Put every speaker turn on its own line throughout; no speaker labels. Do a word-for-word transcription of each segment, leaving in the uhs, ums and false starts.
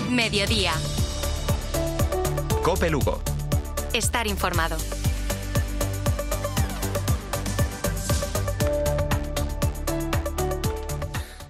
Mediodía.
Cope Lugo.
Estar informado.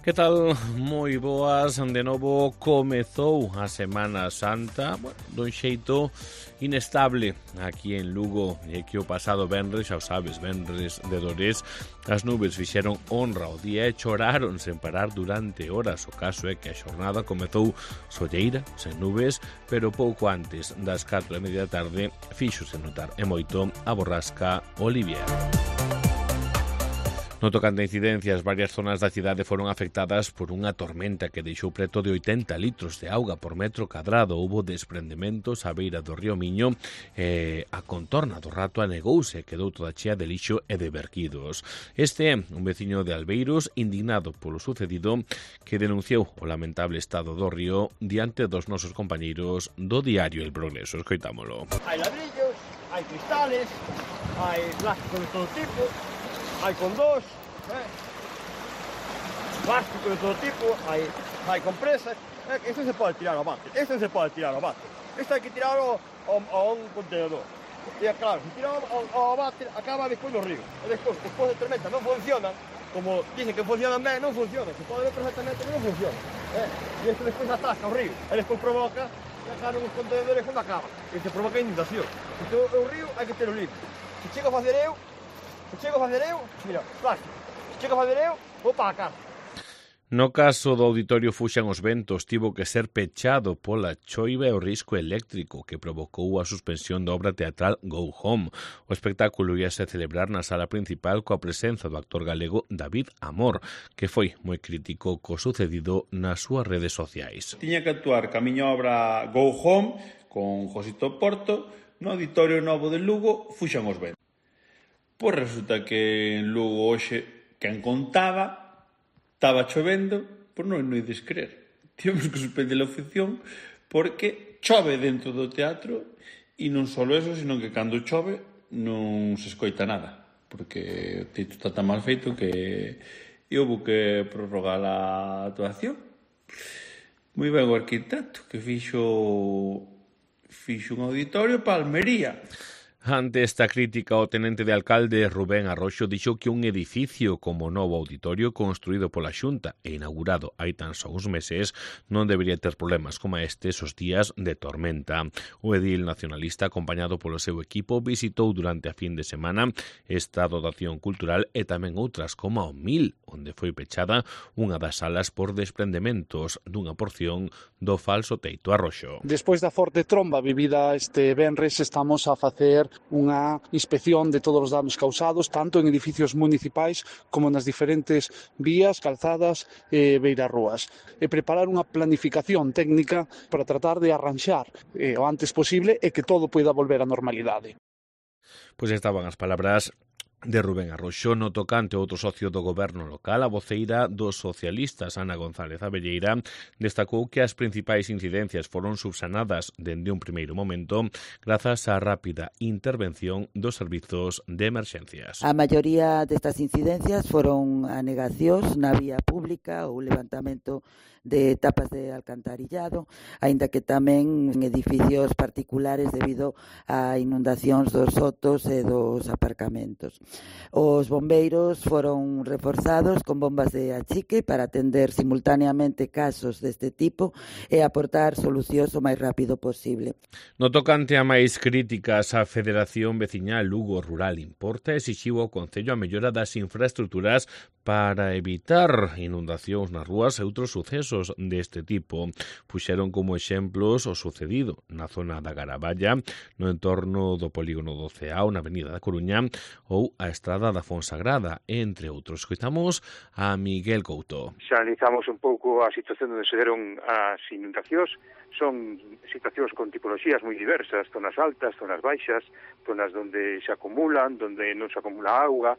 Que tal? Moi boas. De novo comezou a Semana Santa, bueno, dun xeito inestable aquí en Lugo, e que o pasado venres, xa o sabes, venres de Dores, as nubes fixeron honra ao día e choraron sen parar durante horas. O caso é que a xornada comezou solleira, sen nubes, pero pouco antes das catro e media da tarde fíxose notar e moito a borrasca Olivier. No tocante a incidencias, varias zonas da cidade foron afectadas por unha tormenta que deixou preto de oitenta litros de auga por metro cadrado. Houbo desprendementos á beira do río Miño e a contorna do Rato anegouse e quedou toda chea de lixo e de verquidos. Este é un veciño de Albeiros indignado polo sucedido, que denunciou o lamentable estado do río diante dos nosos compañeiros do diario El Progreso. Escoitámolo.
Hai ladrillos, hai cristales, hai plástico de todo tipo, hai condós, eh? plástico de todo tipo, hai, hai compresas. Eh? Isto se pode tirar ao bate, isto se pode tirar ao bate. Isto hai que tirar ao, ao, a un contenedor. E claro, se tirar ao, ao bate, acaba despois no río. E despois, despois de tormenta non funciona, como dicen que funcionan ben, non funciona. Se pode ver perfectamente que non funciona. Eh? E isto despois atasca o río. E despois provoca que acaban os contenedores cando acaba. E se provoca inundación. Isto é o río, hai que ter o limpio. Se chego a facer eu, Se chego a fazer eu, mira, plástico. Se chego a fazer eu, vou para a casa.
No caso do Auditorio Fuxan os Ventos, tivo que ser pechado pola choiva e o risco eléctrico que provocou a suspensión da obra teatral Go Home. O espectáculo íase celebrar na sala principal coa presenza do actor galego David Amor, que foi moi crítico co sucedido nas súas redes sociais.
Tiña que actuar ca miña obra Go Home con Josito Porto no Auditorio Novo de Lugo Fuxan os Ventos. Pois resulta que en Lugo hoxe, quen contaba, estaba chovendo, pois non non ides creer. Tivemos que suspender a función porque chove dentro do teatro e non só eso, sino que cando chove non se escoita nada, porque o teito está tan mal feito que houve que prorrogar a actuación. Moi ben o arquitecto que fixo fixo un auditorio para Almería.
Ante esta crítica, o tenente de alcalde Rubén Arroxo dixo que un edificio como novo auditorio construído pola Xunta e inaugurado hai tan só uns meses non debería ter problemas como estes os días de tormenta. O edil nacionalista, acompañado polo seu equipo, visitou durante a fin de semana esta dotación cultural e tamén outras como o Mil, onde foi pechada unha das salas por desprendementos dunha porción do falso teito Arroxo.
Despois da forte tromba vivida este venres, estamos a facer unha inspección de todos os danos causados, tanto en edificios municipais como nas diferentes vías, calzadas e beirarrúas. E preparar unha planificación técnica para tratar de arranxar eh, o antes posible e que todo poida volver á normalidade.
Pois estaban as palabras de Rubén Arroxo. No tocante outro socio do goberno local, a voceira dos socialistas, Ana González Abelleira, destacou que as principais incidencias foron subsanadas dende un primeiro momento grazas á rápida intervención dos servizos de emerxencias.
A maioría destas incidencias foron anegacións na vía pública ou levantamento de tapas de alcantarillado, aínda que tamén en edificios particulares debido a inundacións dos sotos e dos aparcamentos. Os bombeiros foron reforzados con bombas de achique para atender simultaneamente casos deste tipo e aportar solucións o máis rápido posible.
No tocante a máis críticas, a Federación Veciñal Lugo Rural Importa exixiu ao Concello a mellora das infraestruturas para evitar inundacións nas rúas e outros sucesos deste tipo. Puxeron como exemplos o sucedido na zona da Garaballa, no entorno do polígono do Ceao, na avenida da Coruña, ou a estrada da Fonsagrada, entre outros. Escoitamos a Miguel Couto.
Se analizamos un pouco a situación onde se deron as inundacións, son situacións con tipoloxías moi diversas, zonas altas, zonas baixas, zonas onde se acumulan, onde non se acumula auga,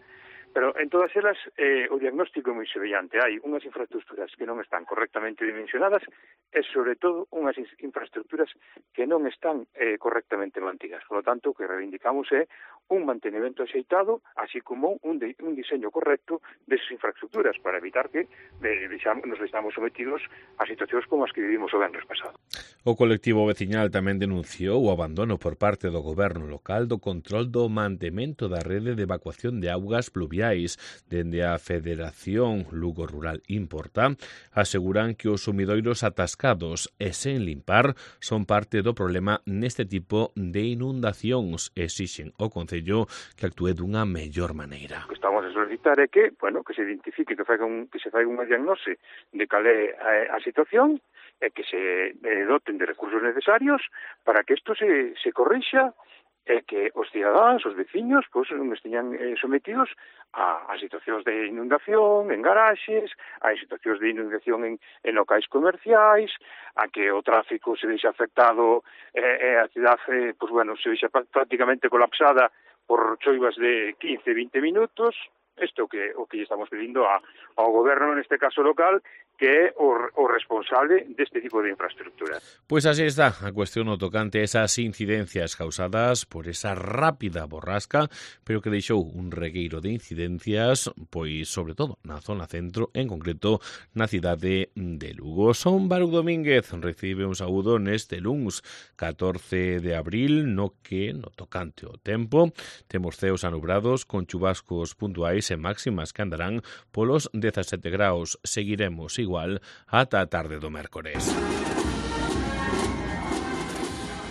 Pero en todas elas eh, o diagnóstico é moi semellante. Hai unhas infraestructuras que non están correctamente dimensionadas e, sobre todo, unhas infraestructuras que non están eh, correctamente mantidas. Por lo tanto, o que reivindicamos é un mantenimento axeitado, así como un, de, un diseño correcto desas infraestructuras para evitar que eh, nos estamos sometidos a situacións como as que vivimos o venres pasado.
O colectivo veciñal tamén denunciou o abandono por parte do goberno local do control do mantemento da rede de evacuación de augas pluviais. Dende a Federación Lugo Rural Importa aseguran que os sumidoiros atascados e sen limpar son parte do problema neste tipo de inundacións. Exixen ao Concello que actúe dunha mellor maneira.
O que estamos a solicitar é que, bueno, que se identifique, que, faiga un, que se faiga unha diagnose de cal é a, a situación e que se eh, doten de recursos necesarios para que isto se, se corrixa e que os cidadáns, os veciños, pois, non esteñan eh, sometidos a, a situacións de inundación en garaxes, a situacións de inundación en, en locais comerciais, a que o tráfico se deixa afectado e eh, a cidade, pois, bueno, se deixa prácticamente colapsada por choivas de quince, vinte minutos. Isto que o que estamos pedindo a, ao goberno, neste caso local, que é o, o responsable deste tipo de infraestructura.
Pois así está a cuestión no tocante a esas incidencias causadas por esa rápida borrasca, pero que deixou un regueiro de incidencias, pois sobre todo na zona centro, en concreto na cidade de Lugo. Son Baruch Domínguez recibe un saúdo neste luns catorce de abril, no que no tocante ao tempo temos ceos anubrados con chubascos puntuais e máximas que andarán polos dezasete graus. Seguiremos igual ata a tarde do mércores.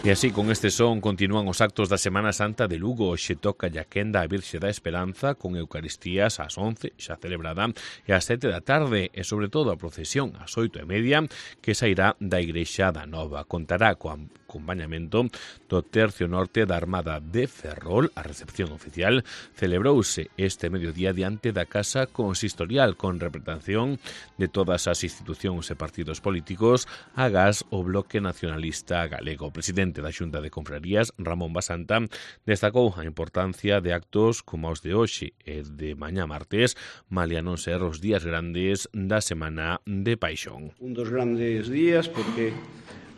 E así, con este son, continúan os actos da Semana Santa de Lugo. Xe toca a quenda a Virxe da Esperanza con Eucaristías ás once, xa celebrada, e ás sete da tarde, e sobre todo a procesión ás oito e media, que sairá da Igrexa da Nova. Contará co acompañamento do Tercio Norte da Armada de Ferrol. A recepción oficial celebrouse este mediodía diante da Casa Consistorial, con representación de todas as institucións e partidos políticos, agás o Bloque Nacionalista Galego. O presidente da Xunta de Confrarías, Ramón Basanta, destacou a importancia de actos como os de hoxe e de mañá martes, malia non ser os días grandes da Semana de Paixón.
Un dos grandes días porque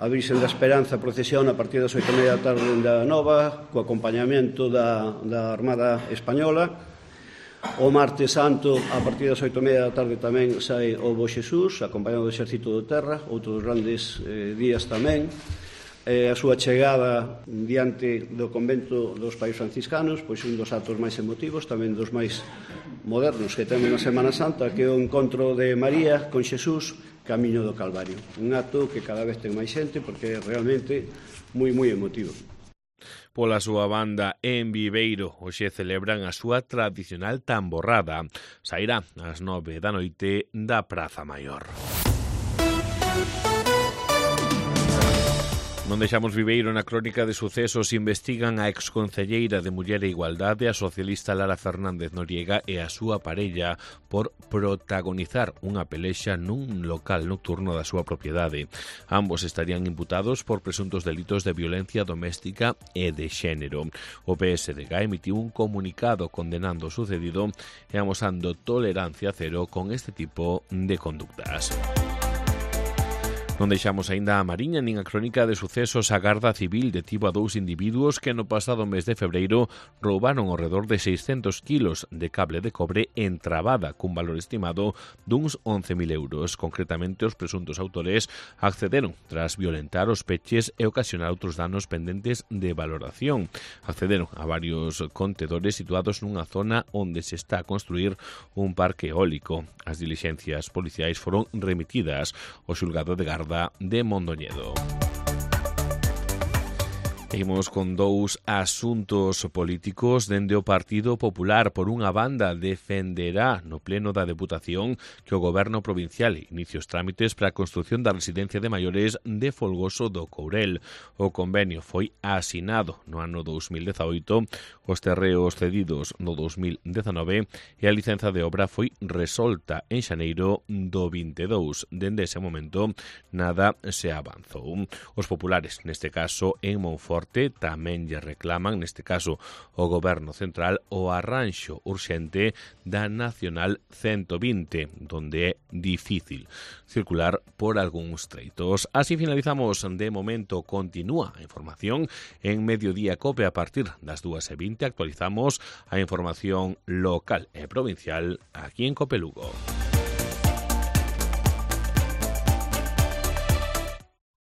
a Virxen da Esperanza procesiona a partir das oito e media da tarde da Nova, co acompañamento da, da Armada Española. O martes santo, a partir das oito e media da tarde tamén sai o Bo Xesús, acompañado do Exército do Terra, outros grandes eh, días tamén. Eh, a súa chegada diante do convento dos Pais Franciscanos, pois un dos actos máis emotivos, tamén dos máis modernos que temos na Semana Santa, que é o encontro de María con Xesús camiño do Calvario. Un acto que cada vez ten máis xente porque é realmente moi, moi emotivo.
Pola súa banda, en Viveiro, hoxe celebran a súa tradicional tamborrada. Sairá ás nove da noite da Praza Maior. Non deixamos Viveiro na crónica de sucesos. Investigan a exconcelleira de Muller e Igualdade, a socialista Lara Fernández Noriega, e a súa parella por protagonizar unha pelexa nun local nocturno da súa propiedade. Ambos estarían imputados por presuntos delitos de violencia doméstica e de xénero. O P S D G emitiu un comunicado condenando o sucedido e amosando tolerancia cero con este tipo de conductas. Non deixamos aínda a Mariña nin a crónica de sucesos. A Garda Civil detivo a dous individuos que no pasado mes de febreiro roubaron ao redor de seiscentos kilos de cable de cobre entrabada cun valor estimado duns once mil euros. Concretamente, os presuntos autores accederon tras violentar os peches e ocasionar outros danos pendentes de valoración. Accederon a varios contedores situados nunha zona onde se está a construir un parque eólico. As dilixencias policiais foron remitidas ao xulgado de Garda de Mondoñedo. Seguimos con dous asuntos políticos. Dende o Partido Popular, por unha banda, defenderá no pleno da Deputación que o Goberno provincial inicie os trámites para a construción da residencia de maiores de Folgoso do Courel. O convenio foi asinado no ano dous mil dezaoito, os terreos cedidos no dous mil dezanove e a licenza de obra foi resolta en xaneiro do vinte e dous. Dende ese momento, nada se avanzou. Os populares, neste caso en Monforte, Norte tamén lle reclaman, neste caso o Goberno Central, o arranxo urxente da Nacional ciento vinte, donde é difícil circular por algúns treitos. Así finalizamos de momento. Continúa a información en Mediodía Cope. A partir das dúas e vinte actualizamos a información local e provincial aquí en Cope Lugo.